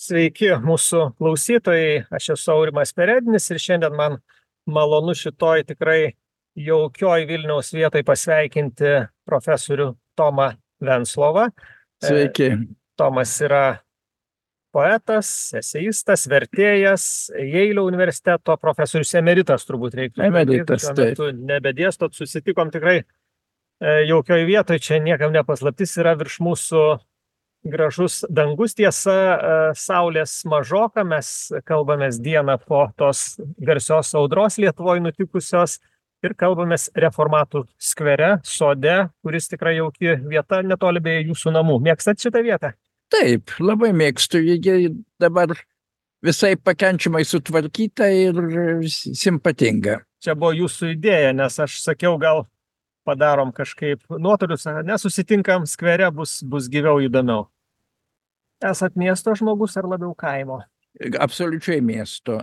Sveiki mūsų klausytojai, aš esu Aurimas Perednis ir šiandien man malonu šitoj tikrai jaukioj Vilniaus vietoj pasveikinti profesorių Tomą Venclovą. Sveiki. Tomas yra poetas, eseistas, vertėjas, Jeilio universiteto profesorius emeritas, turbūt reiktų. Emeritas, šiuo metu nebedėstot, susitikom tikrai jaukioj vietoj, čia niekam nepaslaptis, yra virš mūsų gražus dangus, tiesa, saulės mažoka, mes kalbamės dieną po tos garsios audros Lietuvoj nutikusios ir kalbamės Reformatų skvere, sode, kuris tikrai jauki vieta netoli beje jūsų namų. Mėgstat šitą vietą? Taip, labai mėgstu, ji dabar visai pakenčiamai sutvarkyta ir simpatinga. Čia buvo jūsų idėja, nes aš sakiau, gal padarom kažkaip nuotolius, nesusitinkam skvere, bus gyviau įdomiau. Esat miesto žmogus ar labiau kaimo? Absoliučiai miesto.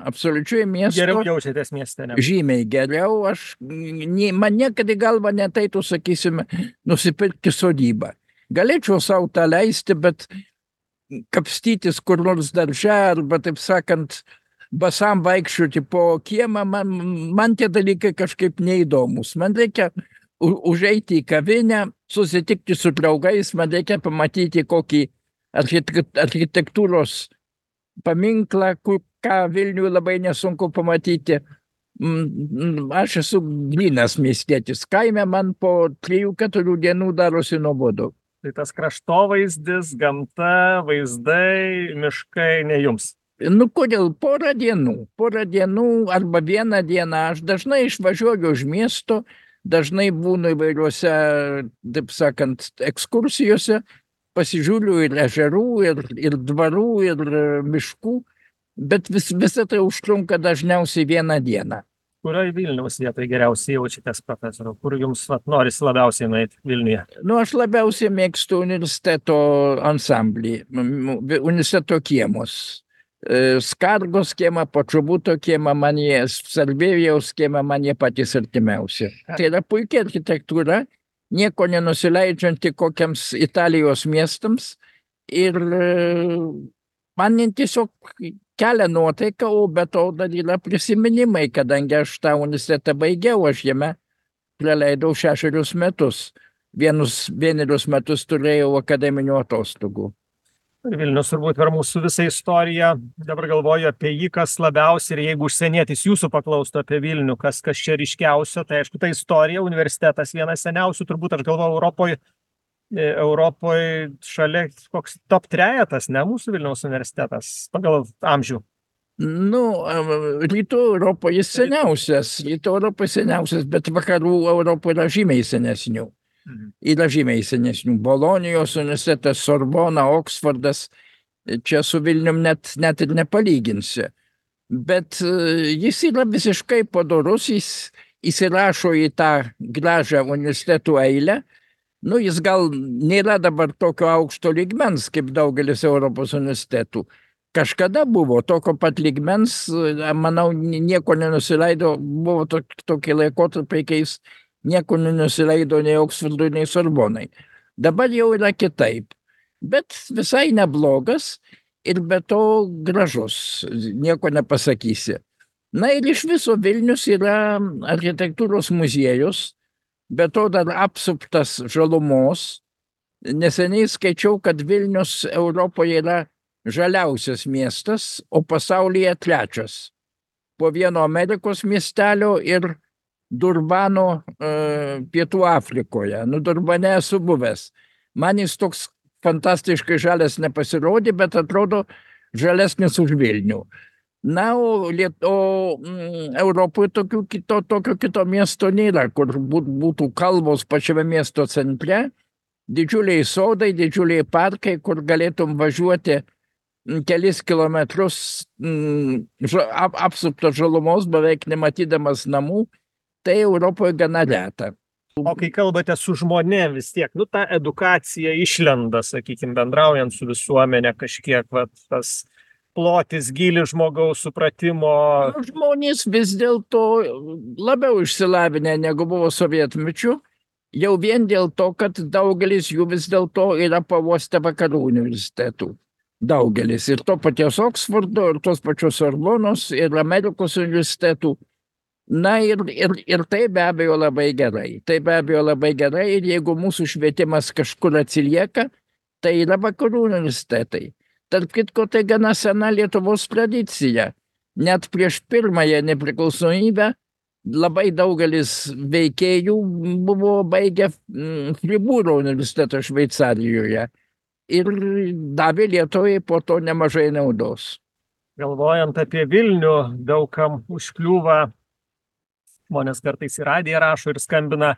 Geriau jaučiatės mieste, ne? Žymiai geriau. Man niekada į galvą neteitų, sakysime, nusipirkti sodybą. Galėčiau savo tą leisti, bet kapstytis kur nors darže arba, taip sakant, basam vaikščioti po kiemą, man tie dalykai kažkaip neįdomus. Man reikia užeiti į kavinę, susitikti su draugais, man reikia pamatyti kokį architektūros paminklą, ką Vilniuje labai nesunku pamatyti. Aš esu grynas miestietis. Kaime man po 3-4 dienų darosi nuobodu. Tai tas kraštovaizdis, gamta, vaizdai, miškai ne jums? Kodėl? Porą dienų arba vieną dieną. Aš dažnai išvažiuoju už miesto, dažnai būnu įvairiuose, taip sakant, ekskursijose, pasižiūriu ir ežerų, ir dvarų, ir miškų, bet visą tai užtrunka dažniausiai vieną dieną. Kurioje Vilniaus vietoje geriausiai jaučiatės, profesoriau? Kur jums norisi labiausiai nueiti Vilniuje? Aš labiausiai mėgstu universiteto ansamblį, universiteto kiemus. Skargos kiemą, Počobuto kiemą, Sarbėvijaus kiemą, man jie patys artimiausi. Tai yra puikia architektūra, nieko nenusileidžianti kokiams Italijos miestams ir man tiesiog kelia nuotaiką, o be to dar yra prisiminimai, kadangi aš tą universitetą baigiau, aš jame praleidau 6 metus. Vienerius metus turėjau akademinių atostogų. Vilnius turbūt per mūsų visą istoriją, dabar galvoju apie jį, kas labiausiai, ir jeigu užsienietis jūsų paklaustų apie Vilnių, kas čia ryškiausio, tai aišku, ta istorija, universitetas vienas seniausių, turbūt aš galvoju, Europoje šalia koks top 3, ne mūsų Vilniaus universitetas, pagal amžių. Rytų Europoje seniausias, bet vakarų Europoje yra žymiai senesnių. Yra žymiai senesnių. Bolonijos universitetas, Sorbona, Oksfordas, čia su Vilnium net ir nepalyginsi. Bet jis yra visiškai padorus, jis įsirašo į tą gražią universitetų eilę. Jis gal nėra dabar tokio aukšto lygmens, kaip daugelis Europos universitetų. Kažkada buvo tokio pat lygmens, manau, nieko nenusileido, buvo tokie laikotarpiai, kai jis nieko nenusileido nei Oksfordui, nei Sorbonai. Dabar jau yra kitaip, bet visai neblogas ir be to gražus, nieko nepasakysi. Ir iš viso Vilnius yra architektūros muziejus, be to dar apsuptas žalumos. Neseniai skaičiau, kad Vilnius Europoje yra žaliausias miestas, o pasaulyje 3. Po vieno Amerikos miestelio ir Durbano Pietų Afrikoje. Durbane esu buvęs. Man jis toks fantastiškai žalias nepasirodė, bet atrodo žalesnis už Vilnių. O Europoje tokio kito miesto nėra, kur būtų kalvos pačiame miesto centre, didžiuliai sodai, didžiuliai parkai, kur galėtum važiuoti kelis kilometrus apsupto žalumos, beveik nematydamas namų. Tai Europoje gana reta. O kai kalbate su žmonėm vis tiek, ta edukacija išlenda, sakykime, bendraujant su visuomenė kažkiek, tas plotis, gylis žmogaus supratimo. Žmonės vis dėlto labiau išsilavinę negu buvo sovietmečiu, jau vien dėl to, kad daugelis jų vis dėlto yra pavostę vakarų universitetų. daugelis. Ir to paties Oksfordo, ir tos pačios Sorbonos, ir Amerikos universitetų. Na ir tai be abejo labai gerai. Tai be abejo labai gerai ir jeigu mūsų švietimas kažkur atsilieka, tai yra vakarų universitetai. Tarp kitko, tai gana sena Lietuvos tradicija. Net prieš pirmąją nepriklausomybę labai daugelis veikėjų buvo baigę Friburgo universitetą Šveicarijoje ir davė Lietuvai po to nemažai naudos. Galvojant apie Vilnių, daugam užkliūva, žmonės kartais į radiją rašo ir skambina,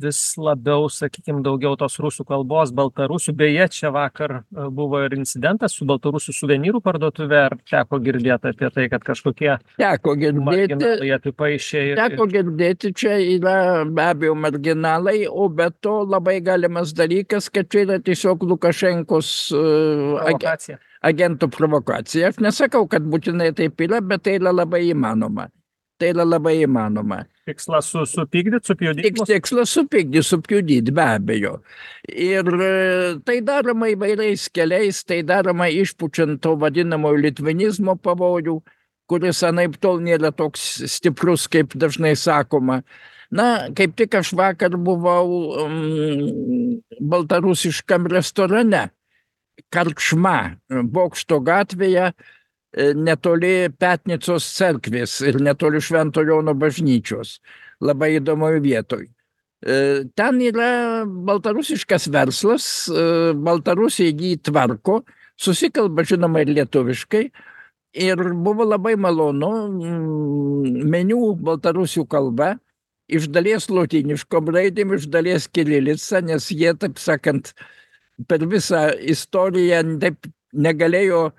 vis labiau, sakykime, daugiau tos rusų kalbos, baltarusių. Beje, čia vakar buvo ir incidentas su baltarusių suvenyrų parduotuve. Ar teko girdėti apie tai, kad kažkokie marginalai apipaišė? Teko girdėti, čia yra be abejo marginalai, o be to labai galimas dalykas, kad čia yra tiesiog Lukašenkos agentų provokacija. Aš nesakau, kad būtinai taip yra, bet tai yra labai įmanoma. Tai yra labai įmanoma. Tikslas supykdyti, supjudyti? Tikslas supjudyti, be abejo. Ir tai daroma įvairiais keliais, tai daroma išpučiant to vadinamo litvinizmo pavojų, kuris anaiptol nėra toks stiprus, kaip dažnai sakoma. Na, kaip tik aš vakar buvau baltarusiškam restorane, Karčma, Bokšto gatvėje, netoli Petnicos cerkvės ir netoli Švento Jono bažnyčios. Labai įdomoj vietoj. Ten yra baltarusiškas verslas, Baltarusiai jį tvarko, susikalba žinoma ir lietuviškai. Ir buvo labai malonu, meniu baltarusių kalba, iš dalies lotyniškom raidėm, iš dalies kirilica, nes jie, taip sakant, per visą istoriją taip negalėjo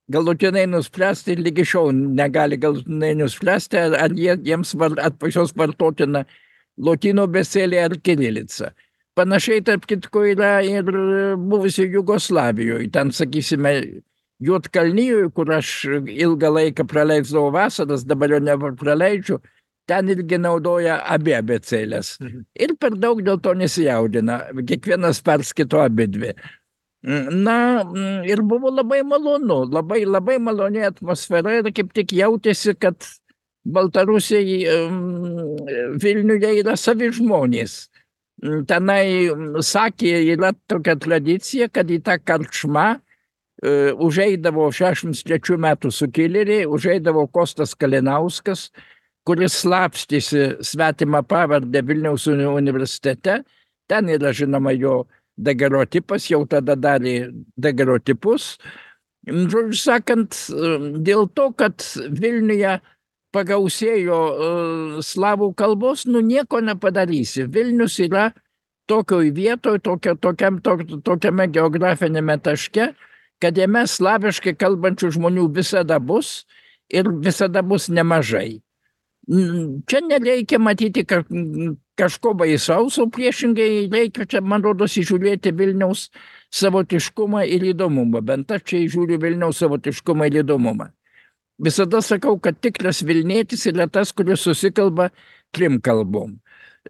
galutinai nuspręsti ir lygi šiol negali galutinai nuspręsti, ar jiems pačios vartotina lotynų abėcėlė ar kirilica. Panašiai, tarp kitko, yra ir buvusi Jugoslavijoje. Ten, sakysime, Juodkalnijoje, kur aš ilgą laiką praleisdavau vasaras, dabar jau nepraleidžiu, ten irgi naudoja abi abėcėlės. Ir per daug dėl to nesijaudina. Kiekvienas perskaito abidvi. Na, ir buvo labai malonu, labai maloni atmosfera ir kaip tik jautėsi, kad Baltarusiai Vilniuje yra savi žmonės. Tenai, sakė, yra tokia tradicija, kad į tą Karčmą užeidavo 63 metų sukilėliai, užeidavo Kostas Kalinauskas, kuris slapstėsi svetimą pavardę Vilniaus universitete. Ten yra, žinoma, jo dagerotipas, jau tada darė dagerotipus. Žodžiu sakant, dėl to, kad Vilniuje pagausėjo slavų kalbos, nieko nepadarysi. Vilnius yra tokioj vietoj, tokiame geografinėme taške, kad jame slaviškai kalbančių žmonių visada bus ir visada bus nemažai. Čia nereikia matyti kažko baisaus, o priešingai reikia čia, man rodos, įžiūrėti Vilniaus savotiškumą ir įdomumą. Bent aš čia įžiūriu Vilniaus savotiškumą ir įdomumą. Visada sakau, kad tikras Vilnietis yra tas, kuris susikalba 3 kalbom.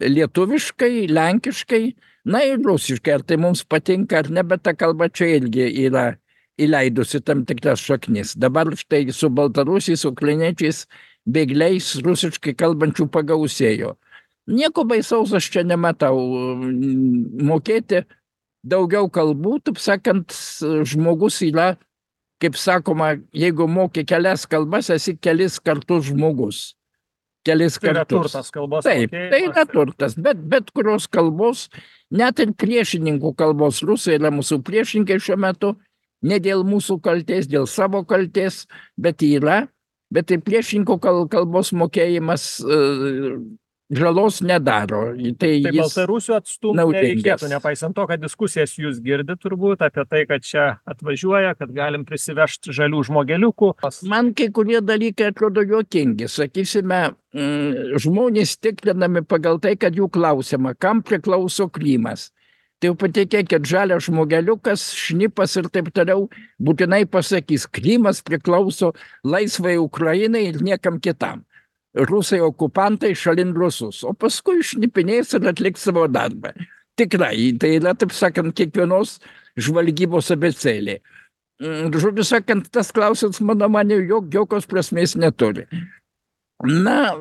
Lietuviškai, lenkiškai, na ir rusiškai. Ar tai mums patinka ar ne, bet ta kalba čia irgi yra įleidusi tam tikras šaknis. Dabar štai su baltarusiais, ukrainiečiais, bėgliais rusiškai kalbančių pagausėjo. Nieko baisaus aš čia nematau. Mokėti daugiau kalbų, taip sakant, žmogus yra, kaip sakoma, jeigu moki kelias kalbas, esi kelis kartus žmogus. Kelis kartus. Tai yra turtas kalbos. Taip, tai yra turtas, bet kurios kalbos, net ir priešininkų kalbos, rusai yra mūsų priešininkai šiuo metu, ne dėl mūsų kaltės, dėl savo kaltės, bet yra. Bet tai priešininkų kalbos mokėjimas žalos nedaro. Tai baltarusių atstumų nereikėtų, nepaisant to, kad diskusijas jūs girdite turbūt apie tai, kad čia atvažiuoja, kad galim prisivežti žalių žmogeliukų. Man kai kurie dalykai atrodo juokingi. Sakysime, žmonės tikrinami pagal tai, kad jų klausiama, kam priklauso Krymas. Tai jau patikėkit, žalias žmogeliukas, šnipas ir taip toliau būtinai pasakys, Krymas priklauso laisvai Ukrainai ir niekam kitam. Rusai okupantai šalin rusus, o paskui šnipinės ir atliks savo darbą. Tikrai, tai yra, taip sakant, kiekvienos žvalgybos abėcėlė. Žodžiu sakant, tas klausimas, mano manymu, jokios prasmės neturi. Na,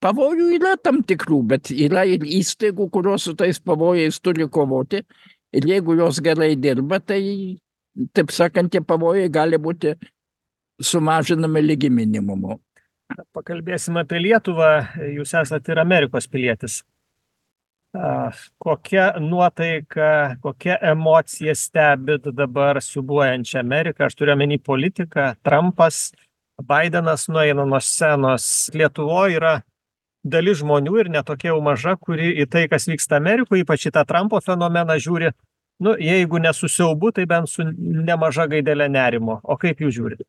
pavojų yra tam tikrų, bet yra ir įstaigų, kurios su tais pavojais turi kovoti. Ir jeigu jos gerai dirba, tai, taip sakant, tie pavojai gali būti sumažinami lygi minimumu. Pakalbėsime apie Lietuvą. Jūs esate ir Amerikos pilietis. Kokia nuotaika, kokia emocija stebit dabar siūbuojančią Ameriką? Aš turiu omeny politiką. Trumpas, Bidenas nueina nuo scenos. Lietuvoje yra dalis žmonių ir netokia jau maža, kuri į tai, kas vyksta Amerikoje, ypač į tą Trumpo fenomeną žiūri, jeigu ne su siaubu, tai bent su nemaža gaidelė nerimo. O kaip jūs žiūrite?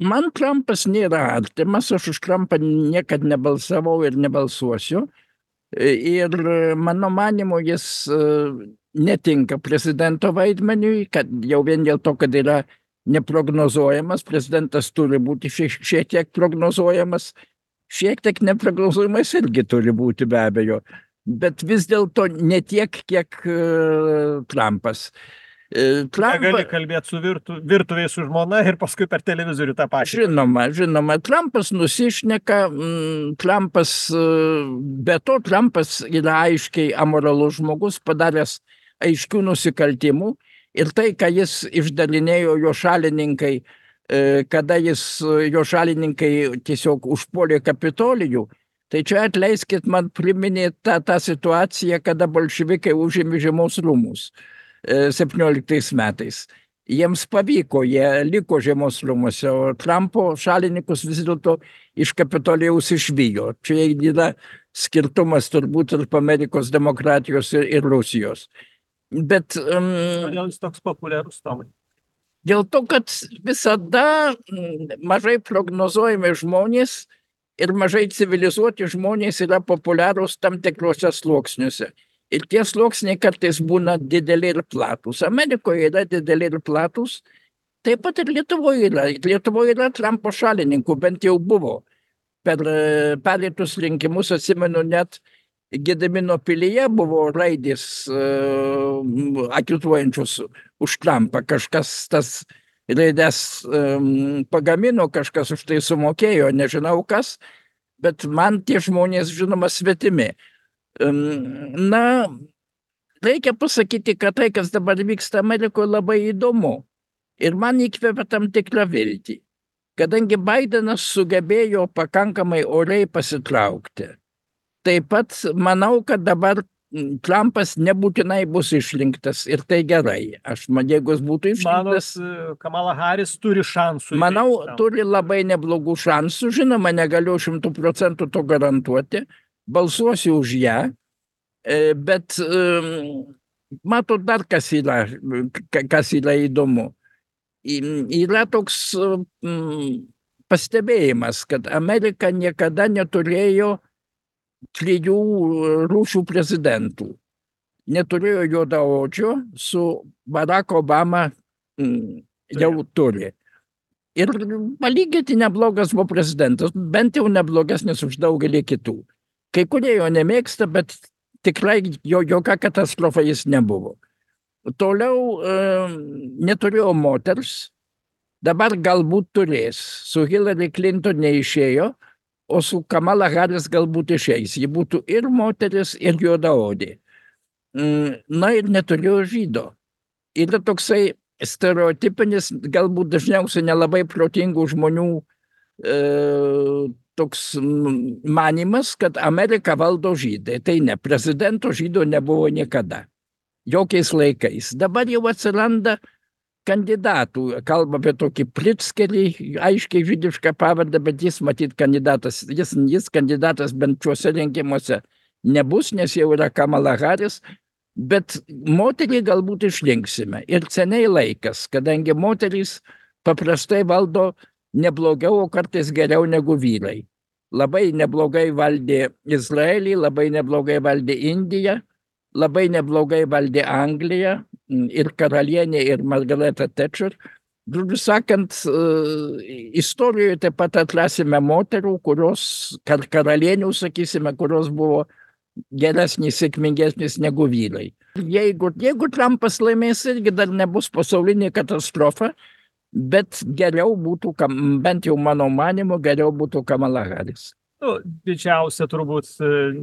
Man Trumpas nėra artimas, aš už Trumpą niekad nebalsavau ir nebalsuosiu. Ir mano manymu, jis netinka prezidento vaidmeniui, kad jau vien dėl to, kad yra neprognozuojamas, prezidentas turi būti šiek tiek prognozuojamas, šiek tiek neprognozuojamas irgi turi būti be abejo, bet vis dėlto ne tiek, kiek Trumpas. Gali kalbėti su virtuviai su žmona ir paskui per televizorių tą pačią. Žinoma, Trumpas nusišneka, be to Trumpas yra aiškiai amoralus žmogus, padaręs aiškių nusikaltimų ir tai, ką jis išdalinėjo jo šalininkai, kada jo šalininkai tiesiog užpuolė Kapitolijų, tai čia atleiskit, man priminė tą situaciją, kada bolševikai užėmė Žiemos rūmus 17 metais. Jiems pavyko, jie liko Žiemos rūmuose, o Trumpo šalininkus vis dėlto iš Kapitolijaus išvijo. Čia yra skirtumas turbūt tarp Amerikos demokratijos ir Rusijos. Bet kodėl jis toks populiarus, Tomai? Dėl to, kad visada mažai prognozuojami žmonės ir mažai civilizuoti žmonės yra populiarūs tam tikrose sluoksniuose. Ir tie sluoksniai kartais būna dideli ir platūs. Amerikoje yra dideli ir platūs, taip pat ir Lietuvoje yra. Lietuvoje yra Trumpo šalininkų, bent jau buvo. Per pereitus rinkimus, atsimenu, net Gedimino pilyje buvo raidės agituojančios už Trumpą. Kažkas tas raidės pagamino, kažkas už tai sumokėjo, nežinau kas, bet man tie žmonės, žinoma, svetimi. Na, reikia pasakyti, kad tai, kas dabar vyksta Amerikoje, labai įdomu. Ir man įkvėpia tam tikrą viltį. Kadangi Bidenas sugebėjo pakankamai oriai pasitraukti, taip pat manau, kad dabar Trumpas nebūtinai bus išrinktas ir tai gerai. Jeigu jis būtų išrinktas... Kamala Harris turi šansų. Manau, turi labai neblogų šansų. Žinoma, negaliu 100% to garantuoti. Balsuosiu už ją, bet matot dar kas yra įdomu. Yra toks pastebėjimas, kad Amerika niekada neturėjo 3 rūšių prezidentų. Neturėjo juodaodžio, su Barack Obama jau turi. Ir palyginti neblogas buvo prezidentas, bent jau neblogesnis už daugelį kitų. Kai kurie jo nemėgsta, bet tikrai jokia katastrofa jis nebuvo. Toliau neturėjo moters, dabar galbūt turės. Su Hillary Clinton neišėjo, o su Kamala Harris galbūt išeis. Ji būtų ir moteris, ir juodaodė. Na ir neturėjo žydo. Yra toksai stereotipinis, galbūt dažniausiai nelabai protingų žmonių toks manimas, kad Ameriką valdo žydai. Tai ne, prezidento žydo nebuvo niekada. Jokiais laikais. Dabar jau atsiranda kandidatų. Kalba apie tokį Pritzkerį, aiškiai žydišką pavardę, bet jis matyt kandidatas. Jis kandidatas bent šiuose rinkimuose nebus, nes jau yra Kamala Harris. Bet moterį galbūt išrinksime. Ir seniai laikas, kadangi moterys paprastai valdo neblogiau, o kartais geriau negu vyrai. Labai neblogai valdė Izraelį, labai neblogai valdė Indiją, labai neblogai valdė Angliją ir karalienė, ir Margareta Thatcher. Žodžiu sakant, istorijoje taip pat atrasime moterų, kurios, karalienių, sakysime, kurios buvo geresnis, sėkmingesnis negu vyrai. Jeigu Trumpas laimės, irgi dar nebus pasaulinė katastrofa, bet geriau būtų, bent jau mano manimu, geriau būtų Kamala Harris. Nu, didžiausia turbūt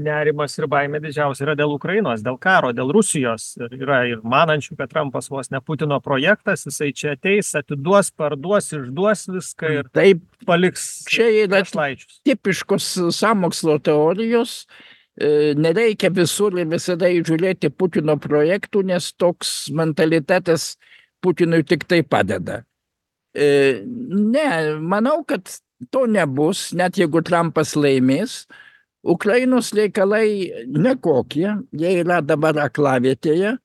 nerimas ir baimė didžiausia yra dėl Ukrainos, dėl karo, dėl Rusijos. Yra ir manančių, kad Trumpas vos ne Putino projektas, jisai čia ateis, atiduos, parduos, išduos viską ir Taip, paliks čia yra našlaičius. tipiškos sąmokslo teorijos. Nereikia visur ir visada žiūrėti Putino projektų, nes toks mentalitetas Putinui tik tai padeda. Ne, manau, kad to nebus, net jeigu Trumpas laimės. Ukrainos reikalai nekokie, jie yra dabar aklavietėje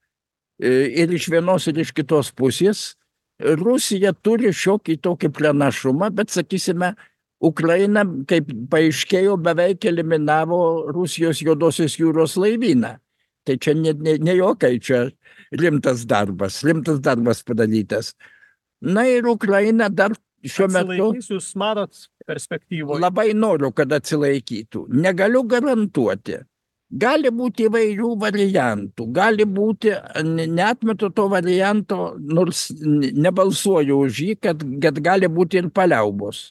ir iš vienos ir iš kitos pusės. Rusija turi šiokį tokį pranašumą, bet, sakysime, Ukraina, kaip paaiškėjo, beveik eliminavo Rusijos Juodosios jūros laivyną. Tai čia ne jokai, čia rimtas darbas padarytas. Na ir Ukraina dar šiuo metu... Atsilaikys, jūs matot perspektyvoje? Labai noriu, kad atsilaikytų. Negaliu garantuoti. Gali būti įvairių variantų. Gali būti, neatmetu to varianto, nors nebalsuoju už jį, kad gali būti ir paliaubos.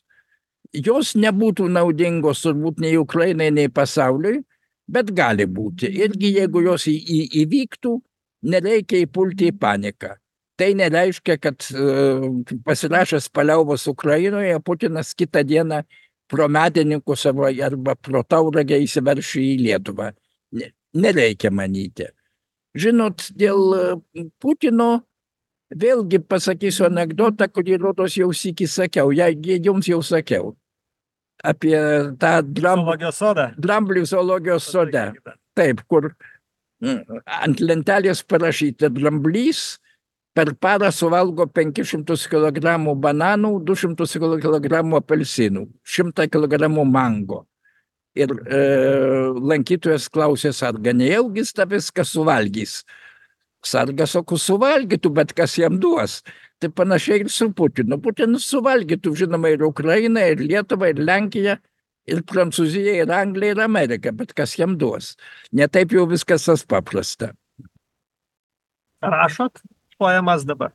Jos nebūtų naudingos turbūt nei Ukrainai, nei pasauliui, bet gali būti. Irgi jeigu jos įvyktų, nereikia įpulti į paniką. Tai nereiškia, kad pasirašęs paliaubos Ukrainoje, Putinas kitą dieną pro medininkus arba pro Tauragę įsiveršė į Lietuvą. Nereikia manyti. Žinot, dėl Putino vėlgi pasakysiu anekdotą, kurį rodos jau sykį sakiau, jums jau sakiau, apie tą dramblių zoologijos sode. Taip, kur ant lentelės parašyta, dramblys per parą suvalgo 500 kg bananų, 200 kg apelsinų, 100 kg mango. Ir lankytojas klausė sargą, nejaugi jis tą viską suvalgys. Sargas, sako, suvalgytų, bet kas jam duos. Tai panašiai ir su Putinu. Putinas suvalgytų, žinoma, ir Ukraina, ir Lietuva, ir Lenkija, ir Prancūzija, ir Anglija, ir Amerika, bet kas jam duos. Netaip jau viskas tas paprasta. Rašot poemas dabar?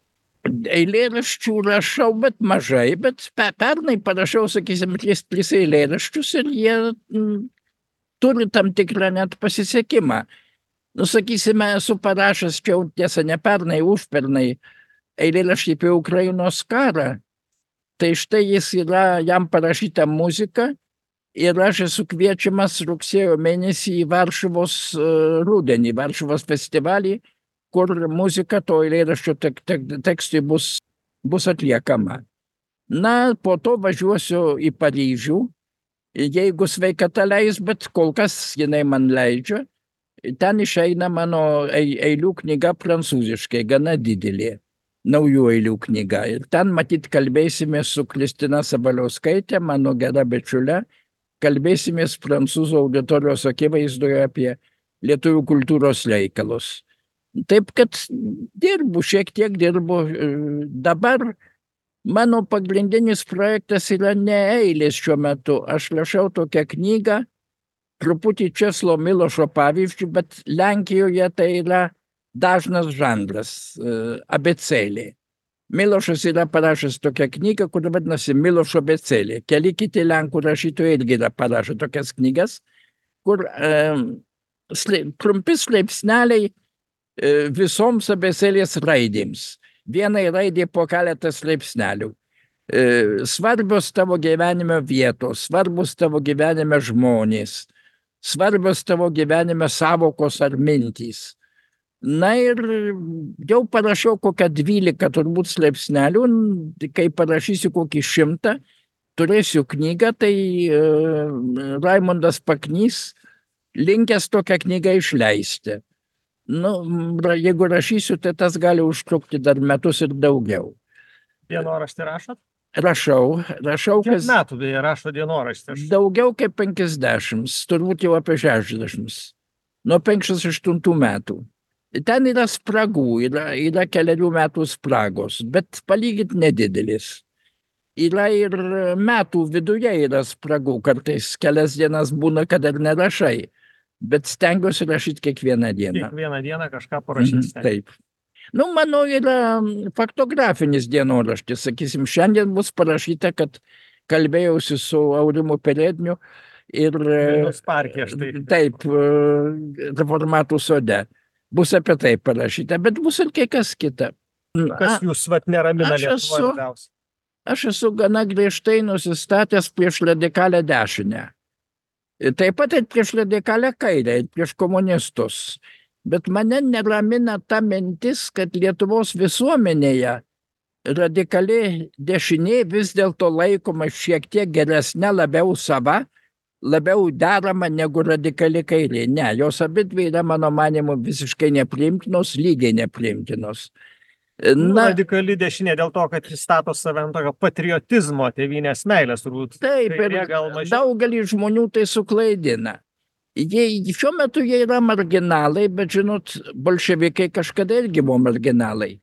Eilėraščių rašau, bet mažai, bet pernai parašiau, sakysim, 3 eilėraščius ir jie turi tam tikrą net pasisekimą. Nu, sakysime, esu parašęs, čia jau tiesa ne pernai, užpernai, eilėraštį apie Ukrainos karą. Tai štai jis yra, jam parašyta muzika ir aš esu kviečiamas rugsėjo mėnesį į Varšuvos rudenį, Varšuvos festivalį, kur muzika to eilėraščio tekstui bus atliekama. Na, po to važiuosiu į Paryžių, jeigu sveikata leis, bet kol kas jinai man leidžia. Ten išeina mano eilių knyga prancūziškai, gana didelė, naujų eilių knyga. Ir ten matyt kalbėsime su Kristina Sabaliauskaitė, mano gera bičiulė, kalbėsimės prancūzų auditorijos akivaizdoje apie lietuvių kultūros reikalus. Taip, kad šiek tiek dirbu. Dabar mano pagrindinis projektas yra ne eilės šiuo metu. Aš rašau tokią knygą, truputį Česlovo Milošo pavyzdžių, bet Lenkijoje tai yra dažnas žanras, abėcėlė. Milošas yra parašęs tokią knygą, kuri vadinasi Milošo abėcėlė. Keli kiti lenkų rašytojai irgi yra parašę tokias knygas, kur trumpi straipsneliai visoms abėcėlės raidėms. Vienai raidė po keletą straipsnelių. Svarbios tavo gyvenime vietos, svarbus tavo gyvenime žmonės, svarbios tavo gyvenime savokos ar mintys. Na ir jau parašiau kokią 12 turbūt straipsnelių, kai parašysiu kokį 100, turėsiu knygą, tai Raimondas Paknys linkęs tokią knygą išleisti. Nu, jeigu rašysiu, tai tas gali užtrukti dar metus ir daugiau. Dienoraštį rašot? Rašau. Kiek metų beje rašo dienoraštį? Daugiau kaip 50, turbūt jau apie 60. Nuo 58 metų. Ten yra spragų, yra keliarių metų spragos, bet palyginti nedidelis. Yra ir metų viduje yra spragų, kartais kelias dienas būna, kad ir nerašai. bet stengiuosi rašyti kiekvieną dieną. Kiekvieną dieną kažką parašyti. Taip. Nu, mano yra faktografinis dienoraštis. Sakysim, šiandien bus parašyta, kad kalbėjausi su Aurimu Peredniu ir Parke, štai. taip, Reformatų sode. Bus apie tai parašyta, bet bus ir kai kas kita. Kas jūs neramina Lietuvoje labiausiai? Aš esu gana griežtai nusistatęs prieš radikalę dešinę. Taip pat ir prieš radikalę kairę, ir prieš komunistus. Bet mane neramina ta mintis, kad Lietuvos visuomenėje radikali dešinė vis dėlto laikoma šiek tiek geresnė, labiau sava, labiau derama negu radikali kairė. Ne, jos abidvi yra, mano manimu, visiškai nepriimtinos, lygiai nepriimtinos. Radikali dešinė dėl to, kad jis stato save ant tokio patriotizmo, tėvynės meilės, turbūt. Taip, ir daugelį žmonių tai suklaidina. Šiuo metu jie yra marginalai, bet žinot, bolševikai kažkada irgi buvo marginalai.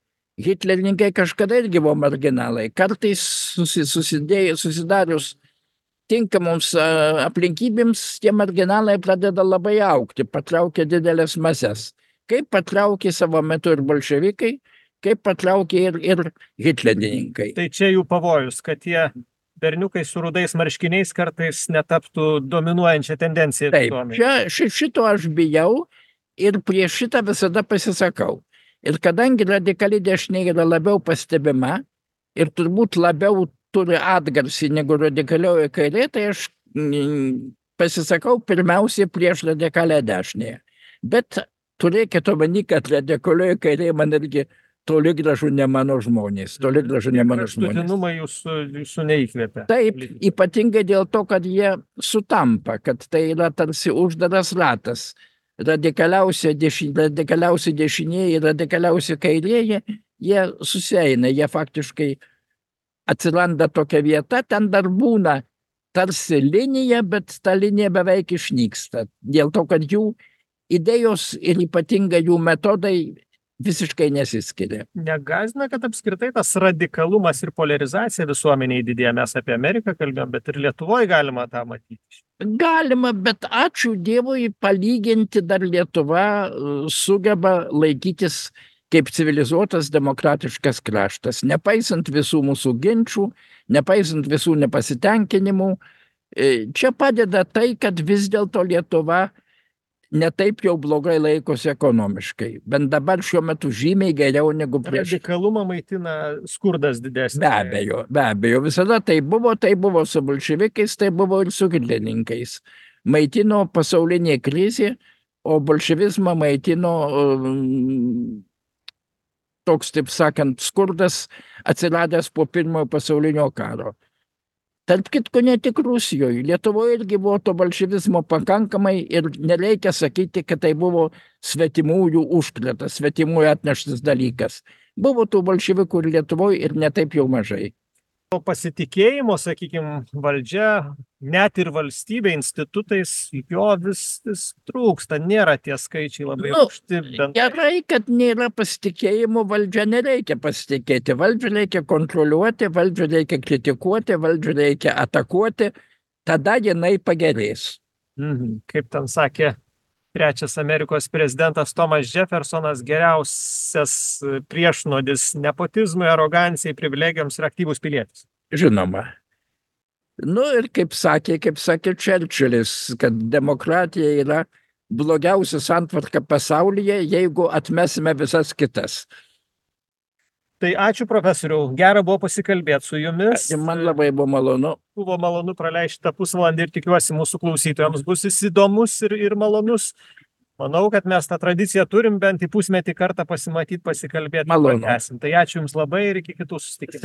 Hitlerininkai kažkada irgi buvo marginalai. Kartais susidarius tinkamoms aplinkybėms, tie marginalai pradeda labai augti, patraukia didelės mases. Kaip patraukė savo metu ir bolševikai, kaip patraukė ir hitlerininkai. Tai čia jų pavojus, kad tie berniukai su rudais marškiniais kartais netaptų dominuojančią tendenciją. Taip, šito aš bijau ir prieš šitą visada pasisakau. Ir kadangi radikali dešinė yra labiau pastebima ir turbūt labiau turi atgarsį negu radikalioji kairė, tai aš pasisakau pirmiausiai prieš radikalią dešinę. Bet turėkite omeny, kad radikalioji kairė man irgi toli gražu ne mano žmonės. Kraštutinumai jūsų neįkvėpia. Taip, ypatingai dėl to, kad jie sutampa, kad tai yra tarsi uždaras ratas. Radikaliausi dešinėje ir radikaliausi kairėje, jie susieina, jie faktiškai atsiranda tokia vieta, ten dar būna tarsi linija, bet ta linija beveik išnyksta. Dėl to, kad jų idėjos ir ypatingai jų metodai visiškai nesiskiria. Negąsdina, kad apskritai tas radikalumas ir polarizacija visuomeniai didėja. Mes apie Ameriką kalbėjom, bet ir Lietuvoje galima tą matyti. Galima, bet ačiū Dievui, palyginti dar Lietuva sugeba laikytis kaip civilizuotas demokratiškas kraštas. Nepaisant visų mūsų ginčių, nepaisant visų nepasitenkinimų, čia padeda tai, kad vis dėlto Lietuva netaip jau blogai laikosi ekonomiškai. Bent dabar šiuo metu žymiai geriau negu prieš. Radikalumą maitina skurdas didesnis. Be abejo, visada tai buvo su bolševikais, tai buvo ir su hitlerinkais. Maitino pasaulinė krizė, o bolševizmą maitino toks, taip sakant, skurdas atsiradęs po pirmojo pasaulinio karo. Tarp kitko, ne tik Rusijoje. Lietuvoje irgi buvo to bolševizmo pakankamai ir nereikia sakyti, kad tai buvo svetimųjų užkratas, svetimųjų atneštas dalykas. Buvo tų bolševikų ir Lietuvoje ir netaip jau mažai. To pasitikėjimo, sakykime, valdžia, net ir valstybė, institutais, jo vis trūksta, nėra tie skaičiai labai aukšti. Gerai, kad nėra pasitikėjimo, valdžia nereikia pasitikėti, valdžia reikia kontroliuoti, valdžia reikia kritikuoti, valdžia reikia atakuoti, tada jinai pagerės. Kaip ten sakė trečias Amerikos prezidentas Thomas Jeffersonas, geriausias priešnuodis nepotizmui, arogancijai, privilegijoms ir aktyvus pilietis. Žinoma. Ir kaip sakė Čerčilis, kad demokratija yra blogiausia santvarka pasaulyje, jeigu atmesime visas kitas. Tai ačiū, profesoriau. Gera buvo pasikalbėti su jumis. Man labai buvo malonu. Buvo malonu praleisti tą pusvalandį ir tikiuosi mūsų klausytojams bus jis įdomus ir malonus. Manau, kad mes tą tradiciją turim bent į pusmetį kartą pasimatyti, pasikalbėti. Malonu. Tai ačiū jums labai ir iki kitų susitikimų.